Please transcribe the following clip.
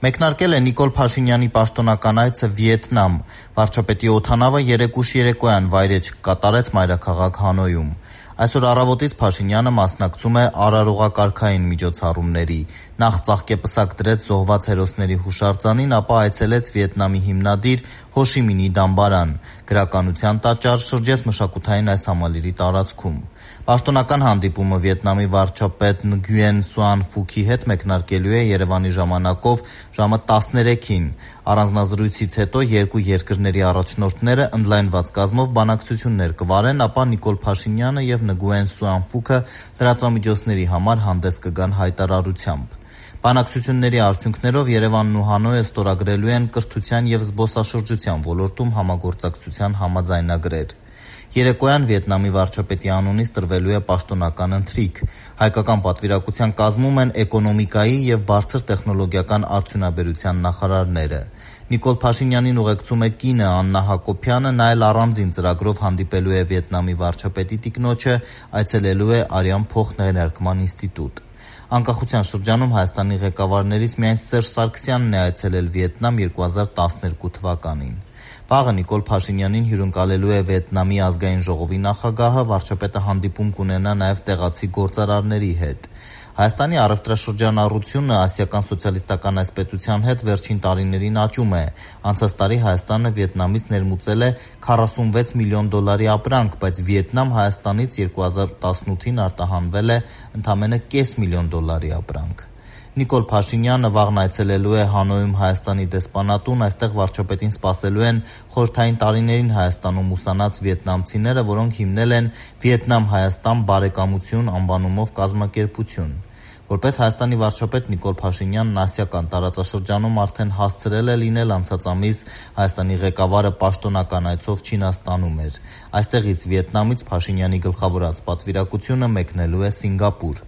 Մեկնարկել է Նիկոլ Փաշինյանի պաշտոնական այցը Վիետնամ։ Վարչապետի օդանավը երեկ ուշ երեկոյան վայրէջք կատարեց մայրաքաղաք Հանոյում։ Այսօր առավոտից Փաշինյանը մասնակցում է արարողակարգային միջոցառումների։ Նախ ծաղկեպսակ դրեց զոհված հերոսների հուշարձանին, ապա այցելեց Վիետնամի հիմնադիր Հո Շի Մինի դամբարան։ Գրականության տաճար, շրջեց մշակութային այս համալիրի տարածքում։ Պաշտոնական հանդիպումը Վիետնամի վարչապետ Նգյեն Սուան Ֆուքի հետ մեկնարկելու է Երևանի ժամանակով ժամը 13-ին։ Առանձնազրույցից հետո երկու երկրների առաջնորդները ընդլայնված կազմով բանակցություններ կվարեն, ապա Նիկոլ Փաշինյանը և Նգուեն Սուան Ֆուքը լրատվամիջոցների համար հանդես կգան հայտարարությամբ։ Բանակցությունների արդյունքներով Երևանն ու Հանոյը ստորագրելու են կրթության և զբոսաշրջության ոլորտում համագործակցության համաձայնագրեր։ Երեկոյան Վիետնամի վարչապետի անունից տրվելու է պաշտոնական ընթրիք։ Հայկական պատվիրակության կազմում են էկոնոմիկայի և բարձր տեխնոլոգիական արդյունաբերության նախարարները։ Նիկոլ Փաշինյանին ուղեկցում է կինը Աննա Հակոբյանը, նա էլ առանձին ծրագրով հանդիպելու է Վիետնամի վարչապետի տիկնոջը, այցելելու է Արյան փոխներարկման ինստիտուտ։ Անկախության շրջանում Հայաստանի ղեկավարներից միայն Սերժ Սարգսյանն է այցելել Վիետնամ 2012 թվականին։ Վաղը Նիկոլ Փաշինյանին հյուրընկալելու է Վիետնամի ազգային ժողովի նախագահը, վարչապետը հանդիպում կունենա նաև տեղացի գործարարների հետ։ Հայաստանի առևտրաշրջանառությունը Ասիական սոցիալիստական այս պետության հետ վերջին տարիներին աճում է։ Անցած տարի Հայաստանը Վիետնամից ներմուծել է $46 միլիոն ապրանք, բայց Վիետնամ Հայաստանից 2018-ին արտահանվել է ընդամենը $500,000 ապրանք։ Նիկոլ Փաշինյանը վաղն այցելելու է Հանոյում Հայաստանի դեսպանատուն, այստեղ վարչապետին սպասելու են խորհրդային տարիներին Հայաստանում ուսանած վիետնամցիները, որոնք հիմնել են «Վիետնամ-Հայաստան բարեկամություն» անվանումով կազմակերպություն։ Որպես Հայաստանի վարչապետ Նիկոլ Փաշինյանն ասիական տարածաշրջանում արդեն հասցրել է լինել, անցած ամիս Հայաստանի ղեկավարը պաշտոնական այցով Չինաստանում էր։ Այստեղից Վիետնամից Փաշինյանի գլխավորած պատվիրակությունը մեկնելու է Սինգապուր։